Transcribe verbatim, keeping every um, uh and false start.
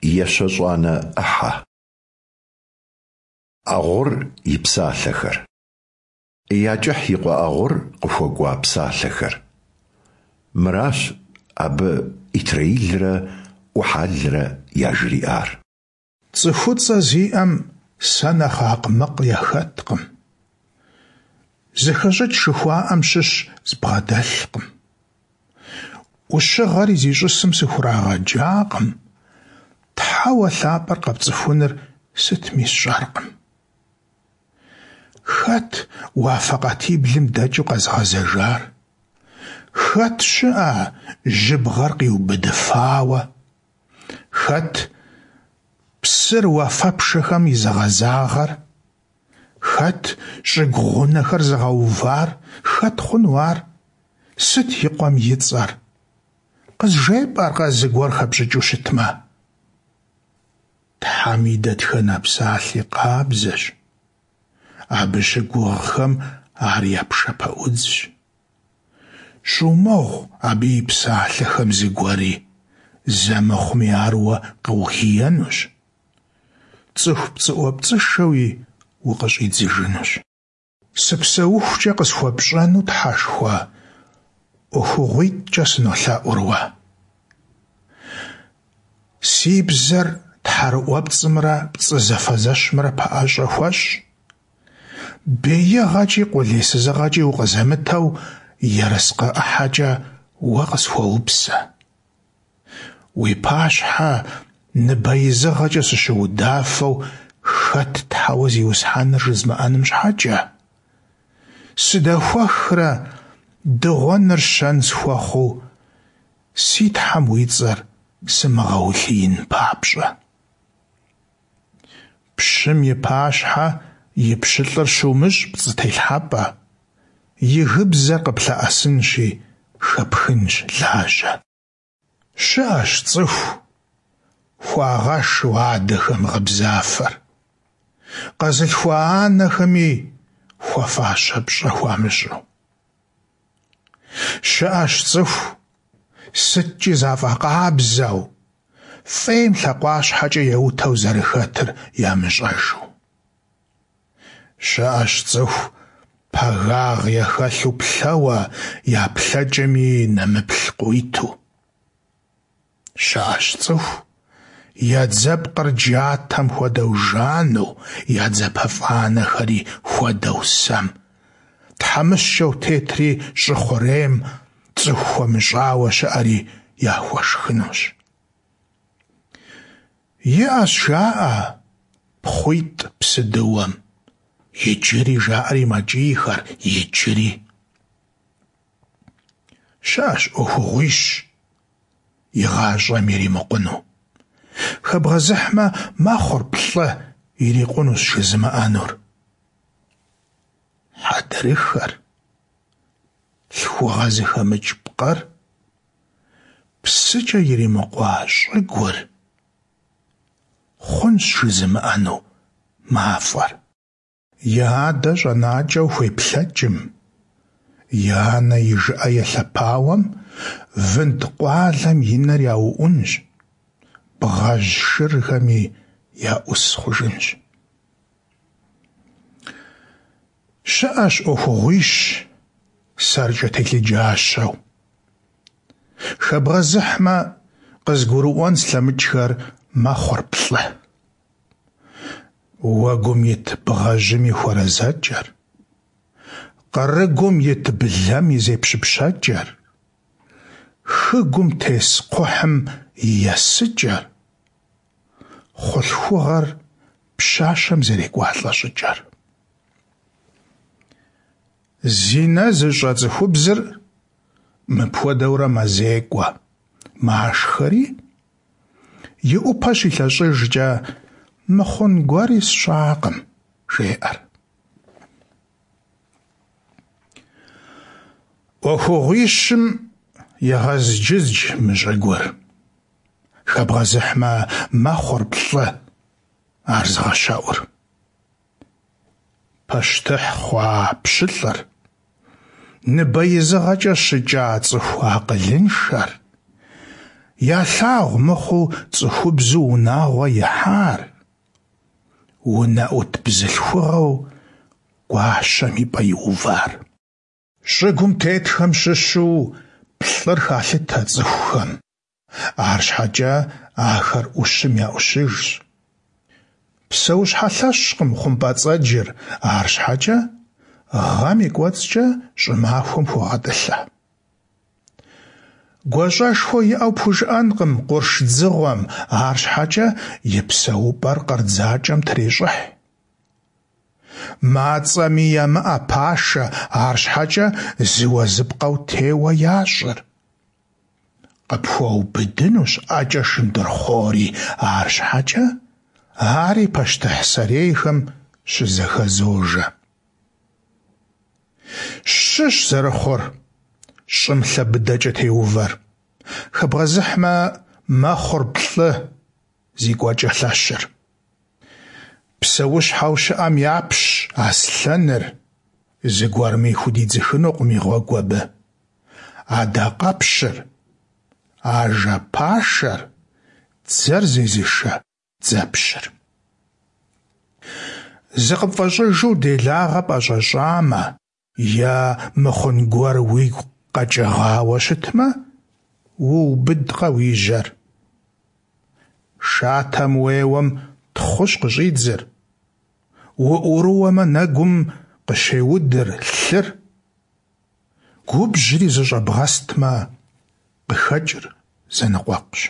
Ещэщӏанэ ӏыхьэ. Ӏэгъур и псалъэхэр. Якӏыхь и къуэ ӏэгъур къыхуэкӏуа псалъэхэр. Мыращ абы ИтрэӀилрэ ӏухьэлрэ яжриӏар. Цӏыхуцӏэ зиӏэм сэ нэхъ акъмыкъ яхэткъым. ЗэхэщӀыкӀ жыхуаӀэм щыщ збгъэдэлъкъым. Ӏущыгъэри зищӀысым сыхурагъэджакъым, Тхьэуэ лъапӀэр къэпцӀыхуныр сытми сщӀэркъым. Хэт уафэ къатиблым дэкӀыу къэзыгъэзэжар? Хэт щыӀэ жьыбгъэр къиубыдыфауэ? Хэт псыр уафэпшэхэм изыгъэзагъэр? Хэт щӀыгу гъунэхэр зыгъэувар? Хэт хъуну ар? Сыт и къуэм и цӀэр? КъызжепӀэркъэ зыгуэр хэпщӀыкӀыу щытмэ? Тхьэм и дэтхэнэ псалъи къабзэщ. Абы щыгугъхэм ар я пшэпэӀудзщ. ЩӀумыгъу абы и псалъэхэм зыгуэри, зэ мыхъуми ар уэ къыугиенущ, цӀыху пцӀыӀуэпцӀышэуи укъыщӀидзыжынущ. СыпсэухукӀэ къысхуэпщӀэну, Тхьэшхуэ, ӀуэхугъуитӀкӀэ сынолъэӀур уэ. Си бзэр тхьэрыӀуэпцӀымрэ пцӀы зэфэзэщымрэ пэӀэщӀэ хуэщӀ. БеигъэкӀи къулейсызыгъэкӀи укъызэмытэу ерыскъы ӀыхьэкӀэ уэ къысхуэупсэ. Уи пащхьэ ныбэизыгъэкӀэ сыщыудафэу хэт Тхьэуэ Зиусхьэныр жызмыӀэным щхьэкӀэ, сыдэхуэхрэ дыгъуэныр щэн схуэхъуу, си Тхьэм уи цӀэр сымыгъэулъиин папщӀэ. Пщым и пащхьэ и пщылӀыр щумыщӀ пцӀы телъхьэпӀэ, и гыбзэр къыплъэӀэсынщи, хэпхынщ лажьэ. ЩыӀэщ цӀыху, хуагъэшу адэхэм гъыбзафэр, къэзылъхуа анэхэми хуэфащэ пщӀэ хуамыщӀу. ЩыӀэщ цӀыху, сыткӀи зафӀэкъабзэу, фӀейм лъакъуащхьэкӀэ еутэу зэрыхэтыр ямыщӀэжу. ЩыӀэщ цӀыху, пагагъ яхэлъу плъэуэ, я плъэкӀэми нэмыплъ къыуиту. ЩыӀэщ цӀыху, я дзэпкъыр джатэм хуэдэу жану, я дзапэфӀанэхэри хуэдэу сэм. ТхьэмыщкӀэу тетри щӀы хъурейм, цӀыху хуэмыщӀауэ щыӀэри яхуэшхынущ. ИӀэщ, жаӀэ, пхъуитӀ псыдыуэм. Иджыри, жаӀэри мэкӀийхэр, иджыри. ЩыӀэщ Ӏуэхугъуищ игъащӀэм иримыкъуну. Хэбгъэзыхьмэ, мэхъур плӀы ирикъунущ жызымыӀэнур. Хьэдрыхэр, лъхугъэ зыхэмыкӀ пкъыр, псыкӀэ иримыкъуа щӀыгур, хъунщ жызымыӀэну мафӀэр. И адэ щӀэнакӀэу хуеплъэкӀым, и анэ и жыӀэ елъэпауэм вынд къуалэм и нэр яуӀунщ, бгъэжь шырхэми я Ӏус хъужынщ. ЩыӀэщ Ӏуэхугъуищ сэркӀэ телъыджащэу. Хэбгъэзыхьмэ, къызгурыӀуэн слъэмыкӀхэр мэхъур плӀы. Уэгум ит бгъэжьым и хуэрэзэкӀэр, къырыгум ит блэм и зепщыпщэкӀэр, хыгум тес кхъухьым и есыкӀэр, хъулъхугъэр пщащэм зэрекӀуалӀэ щӀыкӀэр. Зинэ зыщӀэ цӀыхубзыр мыпхуэдэурэ мэзекӀуэ, машхэри, и Ӏупэ щилъэщӀыжкӀэ «мыхъун гуэри сщӀакъым», жеӀэр. Ӏуэхугъуищым егъэзджыздж мы щӀыгур. Хэбгъэзыхьмэ, мэхъур плӀы ар зыгъэщэӀур. Пащтыхь хъуа пщылӀыр, ныбэизыгъэкӀэ щыкӀа цӀыху акъылыншэр, Ялъагъу мыхъуу цӏыхубзу унагъуэ ихьар, унэӏут бзылъхугъэу гуащэм и пӏэ иувар. Щӏыгум тетхэм щыщу плӏыр халъытэ цӏыхухэм, арщхьэкӏэ ахэр ӏущым я ӏущыжщ. Псэущхьэ лъэщкъым хъумпӏэцӏэджыр, арщхьэкӏэ гъэм и кӏуэцӏкӏэ щӏымахуэм хуогъэтӏылъэ. Гуащӏэшхуэ иӏэу пхужыӏэнкъым къурш дзыгъуэм, арщхьэкӏэ и псэупӏэр къыр дзакӏэм трещӏыхь. Мацӏэми ямыӏэ пашэ, арщхьэкӏэ зыуэ-зыпкъэу теуэ ящӏыр. Къыпхуэубыдынущ ӏэкӏэ шындырхъуори, арщхьэкӏэ ари пащтыхь сэрейхэм щызэхэзожэ. Щыщ зэрыхъур щӏым лъэ быдэкӏэ теувэр. Хэбгъэзыхьмэ, мэхъур плӏы зи кӏуэкӏэ лъэщыр. Псэущхьэу щыӏэм япщ аслъэныр, зыгуэрми худидзыхынукъым и гъуэгу абы. Адакъэпщыр, ажэ пашэр, дзэр зезышэ дзэпщыр. Зыкъыпфӏэщӏыжу делагъэ пӏэщӏэщӏамэ е мыхъун гуэр уигу къэкӏыгъауэ щытмэ, уубыдкъэ уи жьэр. Шатэм уеуэм тхъущ къыщӏидзыр, уӏурыуэмэ, нэгум къыщеудыр лъыр, губжьри зэщӏэбгъэстмэ, къыхэкӏыр зэныкъуэкъущ.